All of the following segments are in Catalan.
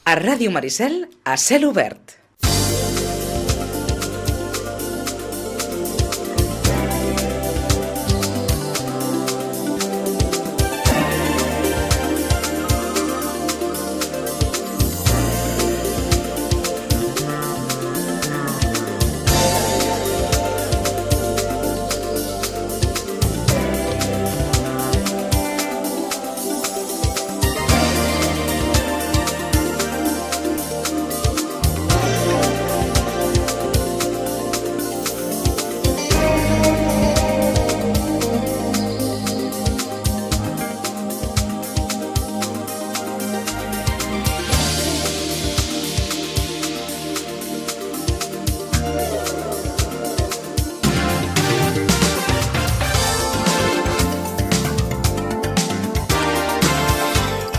A Ràdio Maricel, a cel obert.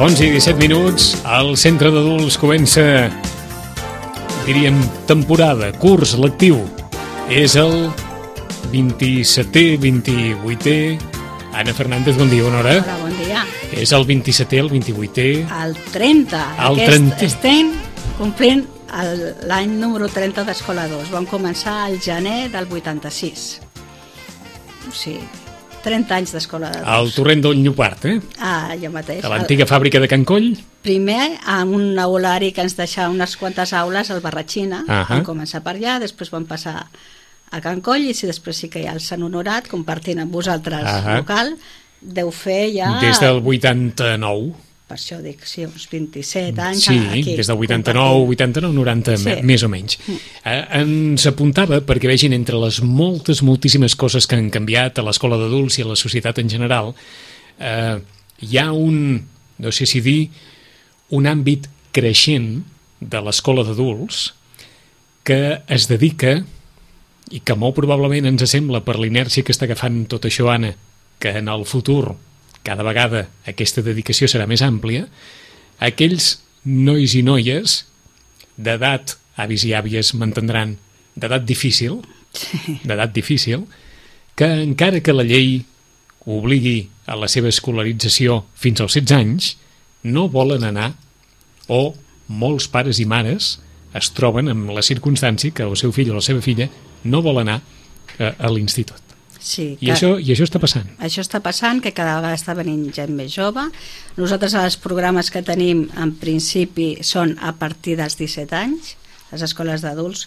I 17 minuts, al centre d'adults comença, diríem, temporada, curs lectiu. És el 27è, 28è... Anna Fernández, bon dia, bona hora. Hola, bon dia. És el 27è, el 28è... El 30. El 30. Estem complint l'any número 30 d'Escola 2. Vam començar al gener del 86. O sigui, 30 anys d'Escola de 2. Al torrent del Llopart, allò mateix. A l'antiga fàbrica de Can Coll. Primer, amb un aulari que ens deixava unes quantes aules al Barratxina. Vam començar per allà, després vam passar a Can Coll, i després sí que hi ha el Sant Honorat, compartint amb vosaltres local. Deu fer ja... Des del 89. Per això dic, sí, uns 27 anys. Sí, aquí, des del 89, 90, sí. Més o menys. Ens apuntava, perquè vegin entre les moltíssimes coses que han canviat a l'escola d'adults i a la societat en general, hi ha no sé si dir, un àmbit creixent de l'escola d'adults que es dedica, i que molt probablement ens sembla per l'inèrcia que està agafant tot això, Anna, que en el futur cada vegada aquesta dedicació serà més àmplia, aquells nois i noies d'edat, avis i àvies m'entendran, d'edat difícil, que encara que la llei obligui a la seva escolarització fins als 16 anys, no volen anar, o molts pares i mares es troben amb la circumstància que el seu fill o la seva filla no vol anar a l'institut. Sí, I això està passant. Això està passant, que cada vegada està venint gent més jove. Nosaltres els programes que tenim en principi són a partir dels 17 anys, les escoles d'adults.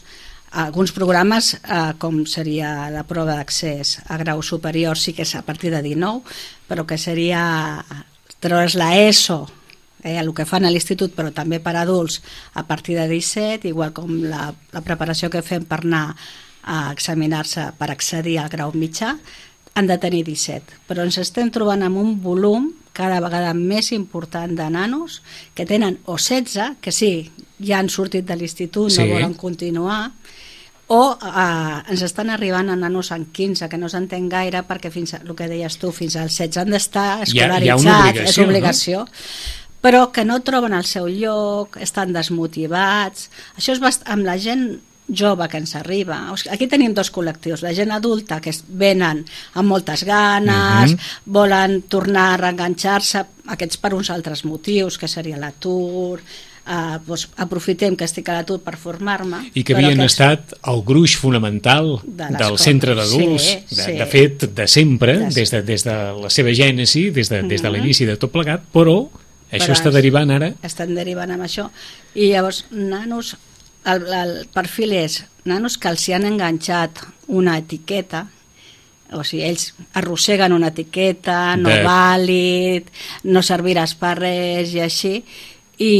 Alguns programes, com seria la prova d'accés a grau superior, sí que és a partir de 19, però que seria treure's la ESO, el que fan a l'institut, però també per adults a partir de 17, igual com la preparació que fem per anar a examinar-se per accedir al grau mitjà, han de tenir 17. Però ens estem trobant amb un volum cada vegada més important de nanos que tenen o 16, que sí, ja han sortit de l'institut, no volen continuar, o ens estan arribant a nanos en 15, que no s'entén gaire, perquè fins el que deies tu, fins als 16 han d'estar escolaritzats, és obligació, però que no troben el seu lloc, estan desmotivats. Això és amb la gent jove que ens arriba. Aquí tenim dos col·lectius, la gent adulta, que venen amb moltes ganes, volen tornar a reenganxar-se, aquests per uns altres motius, que seria l'atur, aprofitem que estic a l'atur per formar-me. I que havien estat el gruix fonamental del centre d'adults, de fet, de sempre, des de la seva gènesi, des de l'inici de tot plegat, però això està derivant ara. Estan derivant amb això. I llavors, nanos, el perfil és nanos que els hi han enganxat una etiqueta, o sigui, ells arrosseguen una etiqueta, no vàlid, no serviràs per res i així, i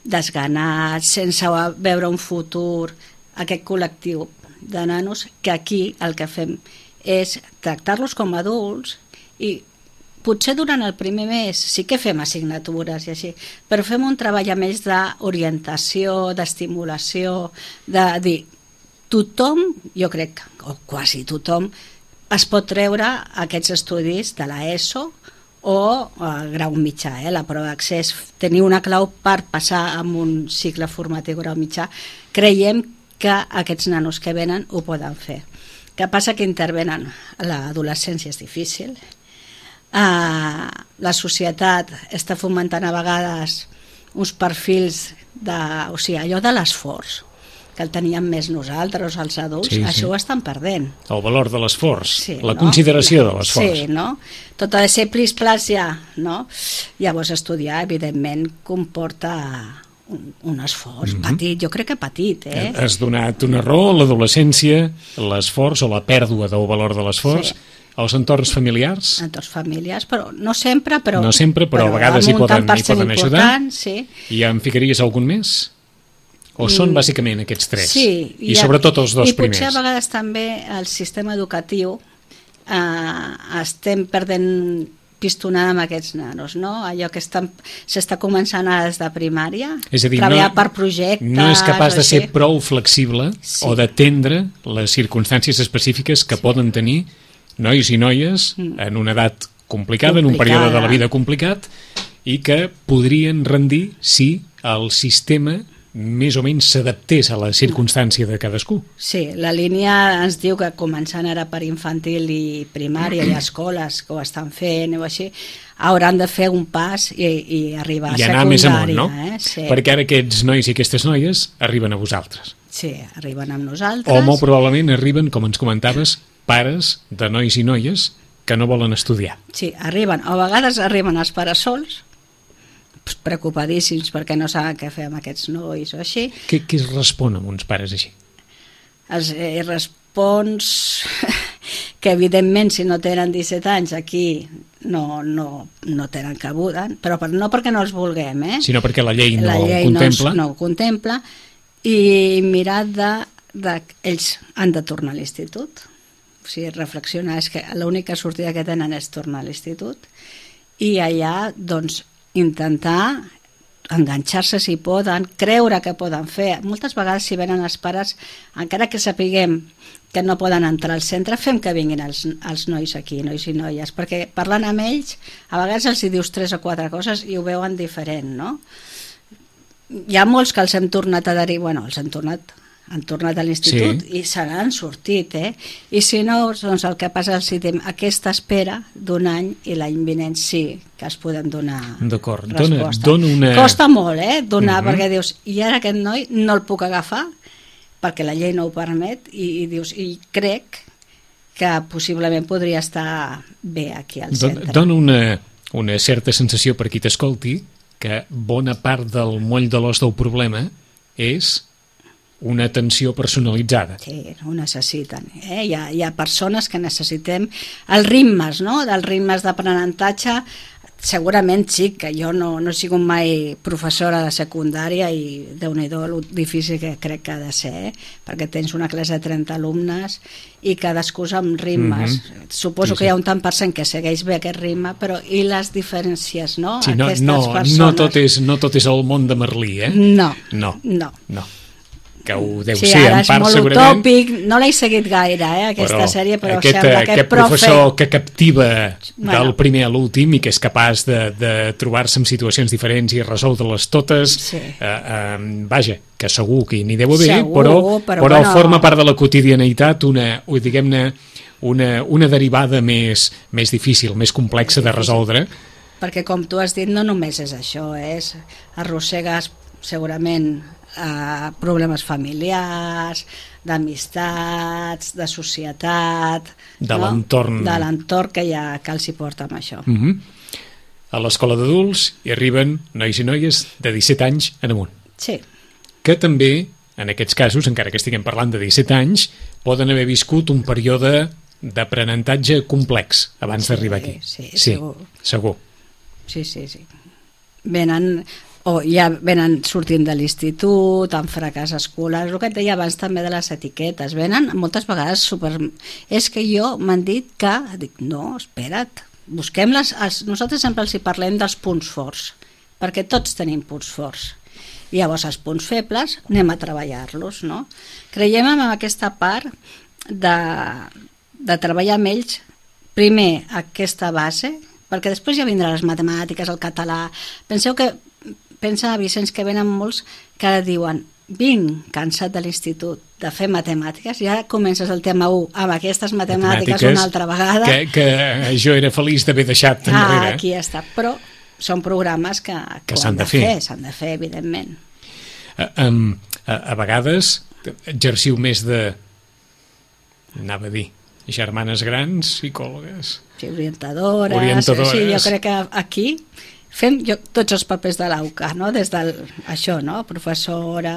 desganats, sense veure un futur, aquest col·lectiu de nanos, que aquí el que fem és tractar-los com adults, i potser durant el primer mes sí que fem assignatures i així, però fem un treball a més d'orientació, d'estimulació, de dir, tothom, jo crec, o quasi tothom, es pot treure aquests estudis de la ESO o el grau mitjà, la prova d'accés. Tenir una clau per passar amb un cicle formatiu grau mitjà. Creiem que aquests nanos que venen ho poden fer. Què passa? Que intervenen. L'adolescència és difícil, la societat està fomentant a vegades uns perfils o sigui, allò de l'esforç que el teníem més nosaltres, els adults, això ho estan perdent. El valor de l'esforç, la consideració de l'esforç. Sí, no? Tot ha de ser plis-plas ja, no? Llavors estudiar, evidentment, comporta un esforç petit, jo crec que petit, Has donat una raó, l'adolescència, l'esforç o la pèrdua del valor de l'esforç, els entorns familiars? Entorns familiars, però no sempre, però a vegades hi poden ajudar. Sí. I em ficaries algun més? O són bàsicament aquests tres? Sí. I sobretot els dos primers. I potser a vegades també el sistema educatiu estem perdent pistonada amb aquests nanos, no? Allò que s'està començant des de primària, és a dir, treballar per projectes... No és capaç de ser prou flexible o d'atendre les circumstàncies específiques que poden tenir nois i noies en una edat complicada, en un període de la vida complicat, i que podrien rendir si el sistema més o menys s'adaptés a la circumstància de cadascú. Sí, la línia ens diu que començant ara per infantil i primària i escoles que ho estan fent o així, hauran de fer un pas i arribar a secundària. I anar més amunt, no? Sí. Perquè ara aquests nois i aquestes noies arriben a vosaltres. Sí, arriben amb nosaltres. O molt probablement arriben, com ens comentaves, pares de nois i noies que no volen estudiar. Sí, arriben. A vegades arriben els pares sols, preocupadíssims perquè no saben què fer amb aquests nois o així. Què es respon amb uns pares així? Els respons que evidentment si no tenen 17 anys aquí no tenen cabuda, però no perquè no els vulguem, sinó perquè la llei no ho contempla. No ho contempla, i mirar ells han de tornar a l'institut, o sigui, reflexionar, és que l'única sortida que tenen és tornar a l'institut, i allà doncs intentar enganxar-se si poden, creure que poden fer. Moltes vegades si venen els pares, encara que sapiguem que no poden entrar al centre, fem que vinguin els nois aquí, nois i noies, perquè parlant amb ells, a vegades els hi dius 3 o 4 coses i ho veuen diferent, no? Hi ha molts que els hem tornat a derivar, han tornat a l'institut i se n'han sortit, i si no, doncs el que passa és que aquesta espera d'un any i l'any vinent sí que es poden donar resposta. Costa molt, donar, perquè dius, i ara aquest noi no el puc agafar perquè la llei no ho permet, i dius, i crec que possiblement podria estar bé aquí al centre. Dona una certa sensació per qui t'escolti que bona part del moll de l'os del problema és una atenció personalitzada. Sí, ho necessiten. Hi ha persones que necessitem els ritmes, no? Dels ritmes d'aprenentatge. Segurament sí, que jo no he sigut mai professora de secundària i Déu-n'hi-do lo difícil que crec que ha de ser, perquè tens una classe de 30 alumnes i cadascú amb ritmes. Suposo que hi ha un tant per cent que segueix bé aquest ritme, però i les diferències, no? Sí, no tot és el món de Merlí, No. Que ho deu ser en part segurament. Sí, ara és molt utòpic, no l'he seguit gaire, aquesta sèrie, però sembla que aquest professor que captiva del primer a l'últim i que és capaç de trobar-se en situacions diferents i resoldre-les totes, vaja, que segur que n'hi deu haver, però forma part de la quotidianitat una derivada més difícil, més complexa de resoldre. Perquè com tu has dit, no només és això, arrossegues segurament problemes familiars, d'amistats, de societat, de l'entorn que els hi porta amb això. A l'escola d'adults hi arriben nois i noies de 17 anys en amunt. Sí. Que també, en aquests casos, encara que estiguem parlant de 17 anys, poden haver viscut un període d'aprenentatge complex abans d'arribar aquí. Sí, segur. Sí. Venen sortint de l'institut, amb fracàs escolar, el que et deia abans també de les etiquetes, venen moltes vegades és que m'han dit que, dic, no, espera't, busquem-les, nosaltres sempre els hi parlem dels punts forts, perquè tots tenim punts forts, i llavors els punts febles anem a treballar-los, no? Creiem en aquesta part de treballar amb ells, primer aquesta base, perquè després ja vindran les matemàtiques, el català. Pensa, Vicenç, que venen molts que ara diuen, vinc cansat de l'institut de fer matemàtiques, ja comences el tema 1 amb aquestes matemàtiques una altra vegada. Que jo era feliç d'haver deixat enrere. Aquí està, però són programes que s'han de fer. S'han de fer, evidentment. A vegades exerciu més de, anava a dir, germanes grans, psicòlogues... Sí, orientadores. Sí, jo crec que aquí fem tots els papers de l'AUCA, no? Des això, no? Professora,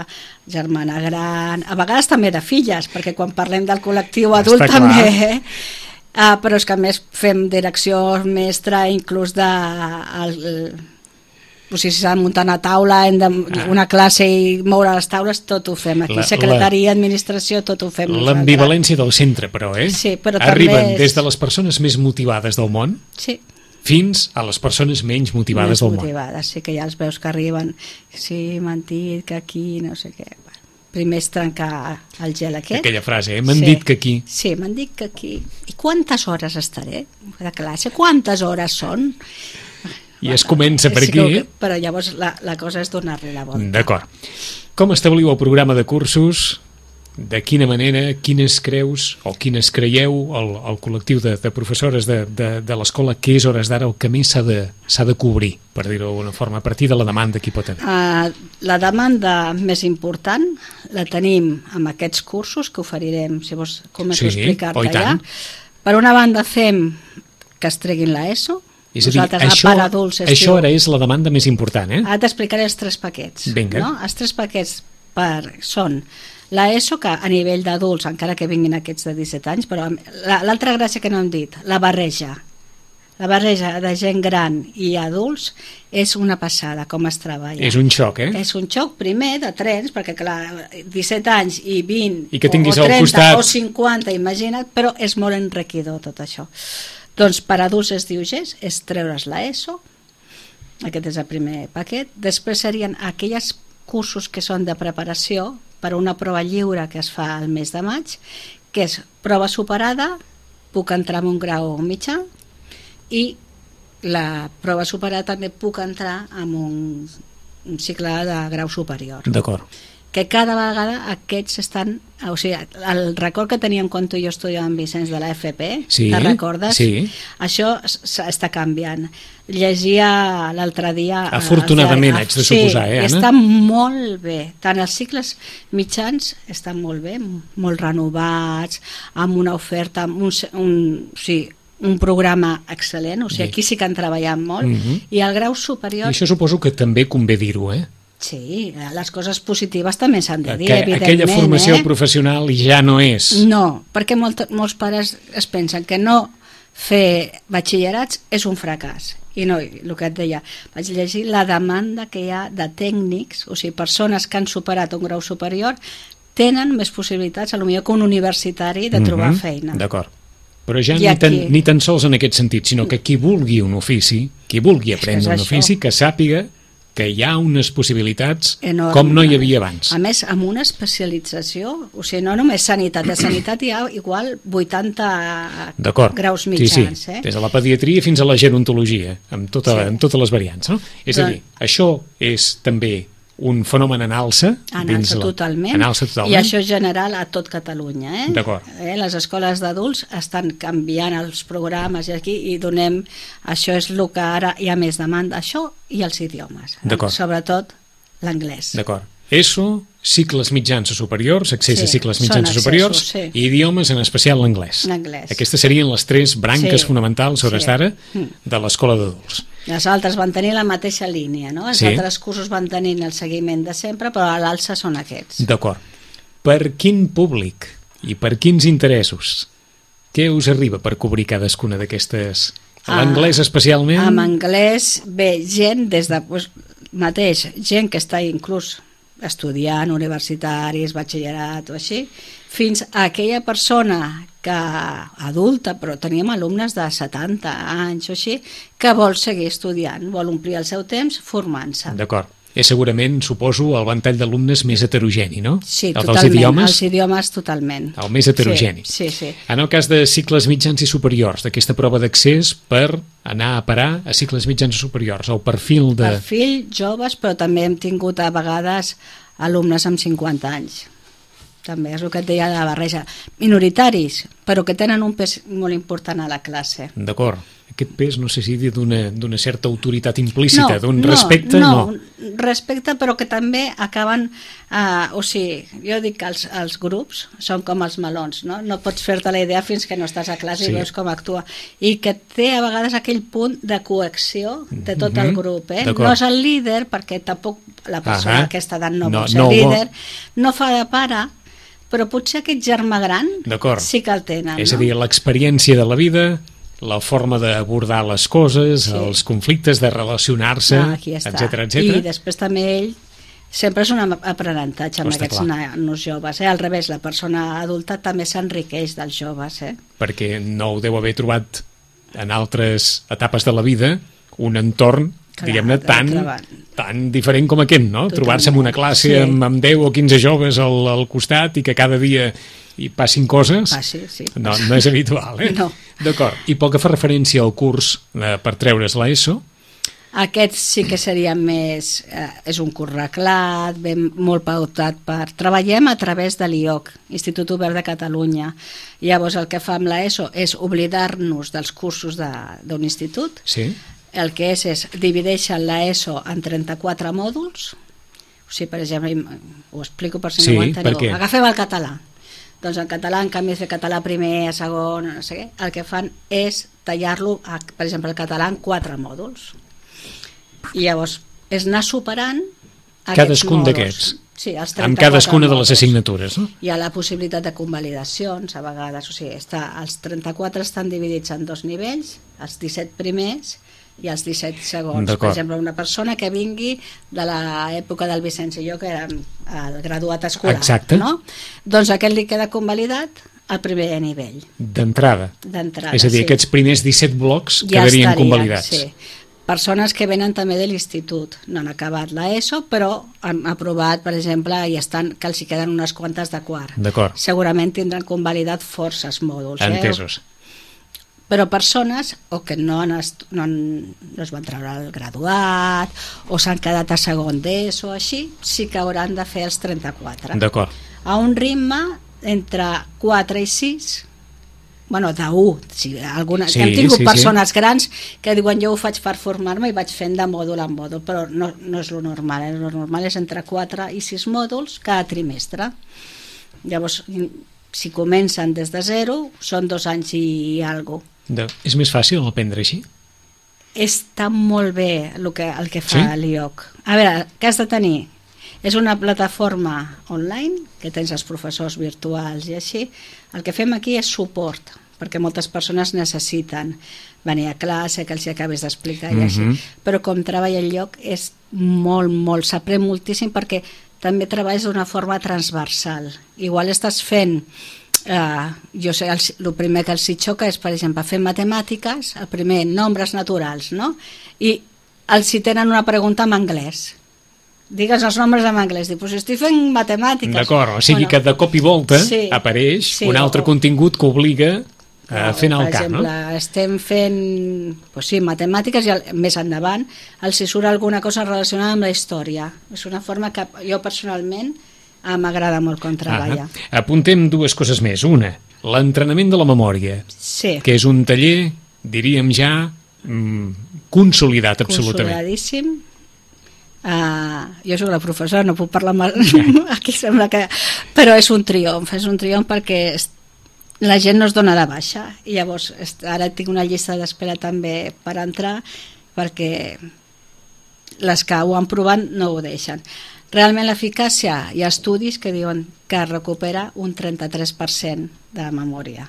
germana gran, a vegades també de filles, perquè quan parlem del col·lectiu adult també, però és que a més fem direcció mestra, inclús si s'ha de muntar una taula, una classe i moure les taules, tot ho fem aquí. Secretaria, administració, tot ho fem nosaltres. L'ambivalència del centre, però, Sí, però arriben des de les persones més motivades del món fins a les persones menys motivades del món. Sí, que ja els veus que arriben, sí, m'han dit que aquí, no sé què. Primer és trencar el gel aquest. Aquella frase, m'han dit que aquí. Sí, m'han dit que aquí. I quantes hores estaré de classe? Quantes hores són? I es comença per aquí. Però llavors la cosa és donar-li la volta. D'acord. Com establiu el programa de cursos? De quina manera, quines creus o quines creieu el col·lectiu de professores de l'escola que és hores d'ara el que més s'ha de cobrir, per dir-ho d'alguna forma, a partir de la demanda que hi pot haver? La demanda més important la tenim amb aquests cursos que oferirem, si vols començo a explicar-te ja. Per una banda fem que es treguin l'ESO. És a dir, això ara és la demanda més important, Ara t'explicaré els 3 paquets. Vinga. No? Els 3 paquets són l'ESO, que a nivell d'adults, encara que vinguin aquests de 17 anys, però l'altra gràcia que no hem dit, la barreja de gent gran i adults és una passada, com es treballa. És un xoc, És un xoc, primer, de trens, perquè clar, 17 anys i 20 I que tinguis o 30 al costat... o 50, imagina't, però és molt enriquidor tot això. Doncs per adults es diu GES, és treure's l'ESO, aquest és el primer paquet. Després serien aquells cursos que són de preparació per a una prova lliure que es fa al mes de maig, que és prova superada, puc entrar en un grau mitjà, i la prova superada també puc entrar en un cicle de grau superior. D'acord. Que cada vegada aquests estan... O sigui, el record que teníem quan tu i jo estudiàvem Vicenç de la FP, te'n recordes? Sí. Això està canviant. Llegia l'altre dia... Afortunadament, haig de suposar, Anna? Sí, està molt bé. Tant els cicles mitjans estan molt bé, molt renovats, amb una oferta, amb un programa excel·lent, o sigui, aquí sí que han treballat molt, i el grau superior... I això suposo que també convé dir-ho, Sí, les coses positives també s'han de dir, evidentment. Aquella formació professional ja no és. No, perquè molts pares es pensen que no fer batxillerats és un fracàs. I no, el que et deia, vaig llegir la demanda que hi ha de tècnics, o sigui, persones que han superat un grau superior, tenen més possibilitats, potser que un universitari, de trobar feina. D'acord. Però ja ni tan sols en aquest sentit, sinó que qui vulgui un ofici, qui vulgui aprendre un ofici, que sàpiga que hi ha unes possibilitats enorme, com no hi havia abans. A més, amb una especialització, o sigui, no només sanitat, de sanitat hi ha igual 80 graus mitjans. Sí. Des de la pediatria fins a la gerontologia, amb totes les variants. No? És a dir, això és també un fenomen en alça. En alça totalment. I això és general a tot Catalunya. D'acord. Les escoles d'adults estan canviant els programes i aquí i donem... Això és el que ara hi ha més demanda. Això i els idiomes. Sobretot l'anglès. D'acord. ESO, cicles mitjans o superiors, accés a cicles mitjans o superiors, i idiomes, en especial l'anglès. Aquestes serien les 3 branques fonamentals, hores d'ara, de l'escola d'adults. Les altres van tenir la mateixa línia, no? Els altres cursos van tenir el seguiment de sempre, però a l'alça són aquests. D'acord. Per quin públic i per quins interessos? Què us arriba per cobrir cadascuna d'aquestes? L'anglès especialment? Amb anglès ve gent des de... gent que està inclús estudiant, universitaris, batxillerat o així, fins a aquella persona que adulta, però teníem alumnes de 70 anys o així, que vol seguir estudiant, vol omplir el seu temps formant-se. D'acord. És segurament, suposo, el ventall d'alumnes més heterogeni, no? Sí, totalment. Els idiomes totalment. El més heterogeni. Sí. En el cas de cicles mitjans i superiors, d'aquesta prova d'accés per anar a parar a cicles mitjans i superiors, el perfil de... Perfil joves, però també hem tingut a vegades alumnes amb 50 anys. També és el que et deia de la barreja. Minoritaris, però que tenen un pes molt important a la classe. D'acord. aquest pes, no sé si dir d'una certa autoritat implícita, d'un respecte, no. Respecte, però que també acaben, o sigui, jo dic que els grups són com els melons, no? No pots fer-te la idea fins que no estàs a classe i veus com actua, i que té a vegades aquell punt de coacció de tot el grup, no és el líder, perquè tampoc la persona a aquesta edat no vol ser líder, no fa de pare, però potser aquest germà gran sí que el tenen. És a dir, l'experiència de la vida, la forma d'abordar les coses, els conflictes, de relacionar-se, etc. I després també ell sempre és un aprenentatge amb aquests nanos joves. Al revés, la persona adulta també s'enriqueix dels joves. Perquè no ho deu haver trobat en altres etapes de la vida un entorn, diguem-ne, tan diferent com aquest, no? Trobar-se en una classe amb 10 o 15 joves al costat i que cada dia hi passin coses, no és habitual, No. D'acord. I pel que fa referència al curs per treure's l'ESO? Aquest sí que seria més... és un curs reglat, molt pautat per... Treballem a través de l'IOC, Institut Obert de Catalunya. Llavors el que fa amb l'ESO és oblidar-nos dels cursos d'un institut. Sí. El que és divideixen l'ESO en 34 mòduls. O sigui, per exemple, ho explico per si no ho enteneu. Agafem el català. Doncs en català, en canvi de fer català primer, segon, no sé què, el que fan és tallar-lo, per exemple, el català en 4 mòduls. I llavors és anar superant cadascun d'aquests. Sí, amb cadascuna de les assignatures, no? Hi ha la possibilitat de convalidacions a vegades, o sigui, els 34 estan dividits en 2 nivells, els 17 primers i els 17 segons. Per exemple, una persona que vingui de l'època del Vicenç i jo, que érem el graduat escolar. Exacte. No? Doncs aquest li queda convalidat al primer nivell. D'entrada. És a dir, aquests primers 17 blocs quedarien convalidats. Sí. Persones que venen també de l'institut, no han acabat l'ESO, però han aprovat, per exemple, i estan que els hi queden unes quantes de quart. D'acord. Segurament tindran convalidat forces mòduls. Entesos. Però persones o que no es van treure el graduat o s'han quedat a segon d'ESO o així, sí que hauran de fer els 34. D'acord. A un ritme entre 4 i 6, bueno, de 1. Hem tingut persones grans que diuen jo ho faig per formar-me i vaig fent de mòdul en mòdul, però no és lo normal. Lo normal és entre 4 i 6 mòduls cada trimestre. Llavors, si comencen des de 0, són 2 anys i alguna cosa. És més fàcil aprendre així? Està molt bé el que fa l'IOC. A veure, què has de tenir? És una plataforma online, que tens els professors virtuals i així. El que fem aquí és suport, perquè moltes persones necessiten venir a classe, que els hi acabis d'explicar i així. Però com treballa el lloc és molt, s'aprèn moltíssim perquè també treballes d'una forma transversal. Igual estàs fent... jo sé, el primer que els hi xoca és, per exemple, fer matemàtiques, el primer, nombres naturals, no? I els hi tenen una pregunta en anglès. Digues els nombres en anglès. Dic, doncs estic fent matemàtiques. D'acord, o sigui que de cop i volta apareix un altre contingut que obliga a fer anar el cap, no? Per exemple, estem fent matemàtiques i més endavant els hi surt alguna cosa relacionada amb la història. És una forma que jo personalment m'agrada molt com treballa. Apuntem 2 coses més. Una, l'entrenament de la memòria, que és un taller, diríem ja, consolidat absolutament. Consolidadíssim. Jo soc la professora, no puc parlar mal. Aquí sembla que... Però és un triomf perquè la gent no es dona de baixa i llavors ara tinc una llista d'espera també per entrar perquè les que ho han provat no ho deixen. Realment l'eficàcia, hi ha estudis que diuen que recupera un 33% de la memòria.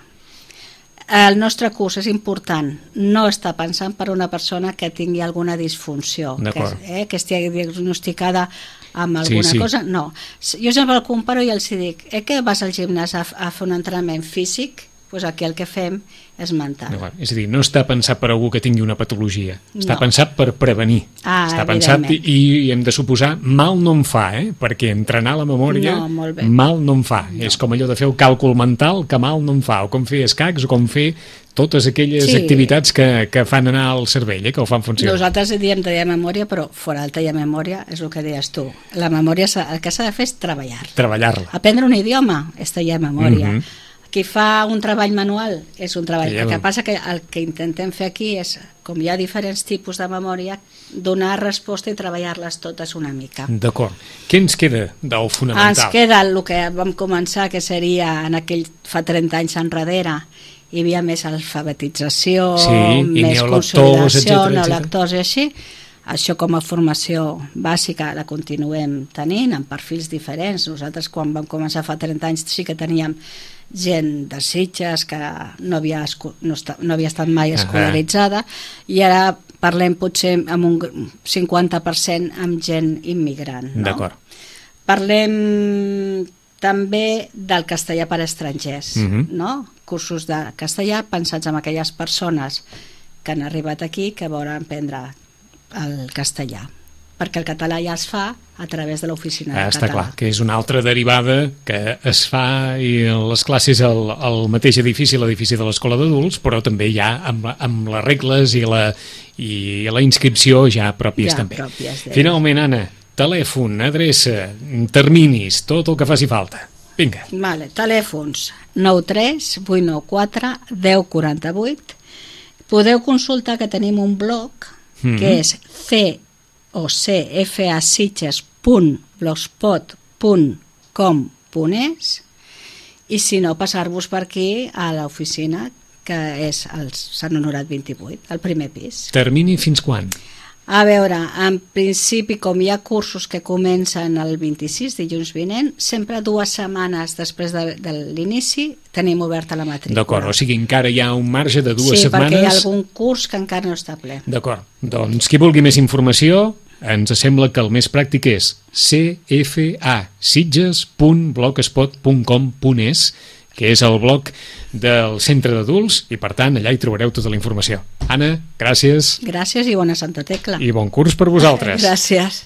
El nostre curs és important, no està pensant per una persona que tingui alguna disfunció, que estigui diagnosticada amb alguna cosa, no. Jo sempre el comparo i els dic, que vas al gimnàs a fer un entrenament físic? Doncs aquí el que fem és mental. És a dir, no està pensat per algú que tingui una patologia, està pensat per prevenir. Està pensat i hem de suposar, mal no em fa, perquè entrenar la memòria mal no em fa. És com allò de fer el càlcul mental que mal no em fa, o com fer escacs, o com fer totes aquelles activitats que fan anar al cervell, que ho fan funcionar. Nosaltres diem taller de memòria, però fora del taller de memòria és el que deies tu. La memòria, el que s'ha de fer és treballar-la. Treballar-la. Aprendre un idioma és taller de memòria. qui fa un treball manual és un treball. Ja, El que passa que el que intentem fer aquí és, com hi ha diferents tipus de memòria, donar resposta i treballar-les totes una mica. D'acord. Què ens queda del fonamental? Ens queda el que vam començar, que seria fa 30 anys enrere, hi havia més alfabetització, més consolidació, neolectors i així. Això com a formació bàsica la continuem tenint, amb perfils diferents. Nosaltres quan vam començar fa 30 anys sí que teníem gent de Sitges que no havia estat mai escolaritzada, i ara parlem potser amb un 50% amb gent immigrant. No? D'acord. Parlem també del castellà per a estrangers, no? Cursos de castellà pensats en aquelles persones que han arribat aquí que volen aprendre el castellà, perquè el català ja es fa a través de l'oficina de Està català. clar, que és una altra derivada que es fa i les classes al mateix edifici, l'edifici de l'escola d'adults, però també ja amb les regles i la inscripció ja pròpies també. Finalment, Anna, telèfon, adreça, terminis, tot el que faci falta. Vinga. Vale, telèfons 93 894 1048. Podeu consultar que tenim un blog que és cocfacitges.blogspot.com.es, i si no, passar-vos per aquí a l'oficina, que és el Sant Honorat 28, al primer pis. Termini fins quan? A veure, en principi, com hi ha cursos que comencen el 26, dilluns vinent, sempre 2 setmanes després de l'inici tenim oberta la matrícula. D'acord, o sigui, encara hi ha un marge de 2 setmanes. Sí, perquè hi ha algun curs que encara no està ple. D'acord, doncs qui vulgui més informació, ens sembla que el més pràctic és cfasitges.blogspot.com.es, que és el blog del centre d'adults, i per tant allà hi trobareu tota la informació. Anna, gràcies. Gràcies i bona Santa Tecla. I bon curs per vosaltres. Gràcies.